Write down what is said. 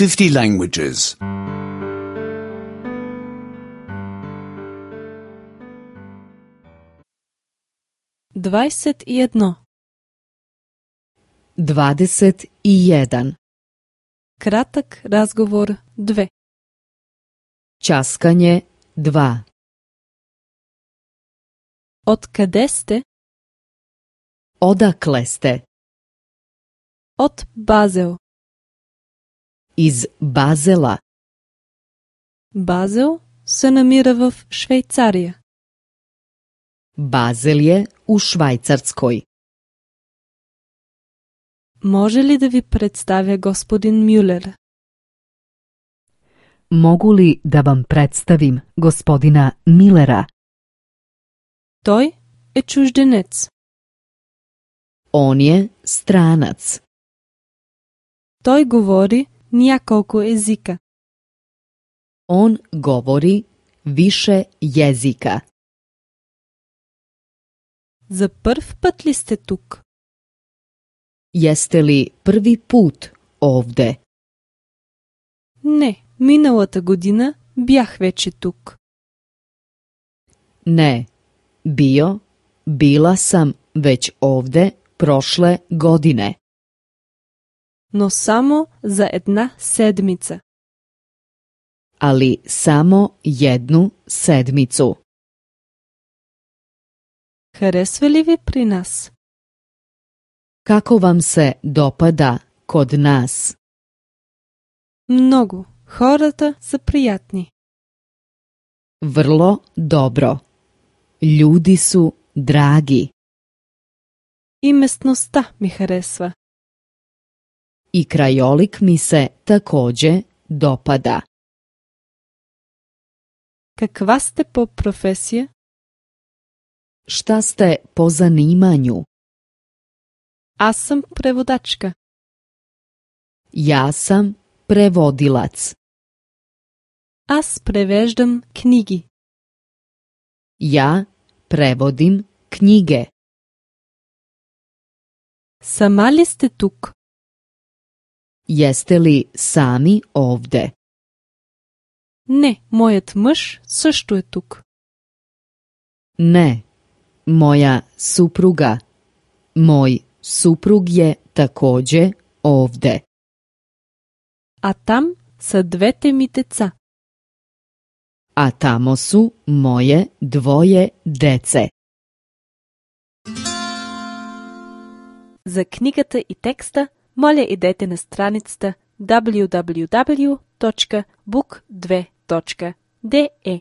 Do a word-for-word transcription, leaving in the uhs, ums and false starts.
fifty languages. Dvadeset i jedno. Dvadeset i jedan. Kratak razgovor dve. Ćaskanje dva. Od kade ste? Odakle ste? Od Базел. Iz Bazela. Базел се намира в Швейцария. Bazel je u Švajcarskoj. Може ли да ви представя господин Мюлер? Mogu li da vam predstavim gospodina Millera? Той е чужденец. On je stranac. Той говори няколко езика. On govori više jezika. За първ път ли сте тук? Jeste li prvi put ovde? Не, миналата година бях вече тук. Ne, bio, bila sam već ovde prošle godine. Но само за една седмица. Ali samo jednu sedmicu. Харесва ли ви при нас? Kako vam se dopada kod nas? Много. Хората са приятни. Vrlo dobro. Ljudi su dragi. И местността ми харесва. I krajolik mi se takođe dopada. Каква сте по професия? Šta ste po zanimanju? Аз съм преводачка. Ja sam prevodilac. Аз превеждам книги. Ja prevodim knjige. Сама ли сте тук? Jeste li sami ovde? Не, моят мъж също е тук. Ne, moja supruga. Moj suprug je takođe ovde. А там са двете ми деца. A tamo su moje dvoje dece. За книгата и текста, моля идете на страницата даблю даблю даблю точка бук две точка де е.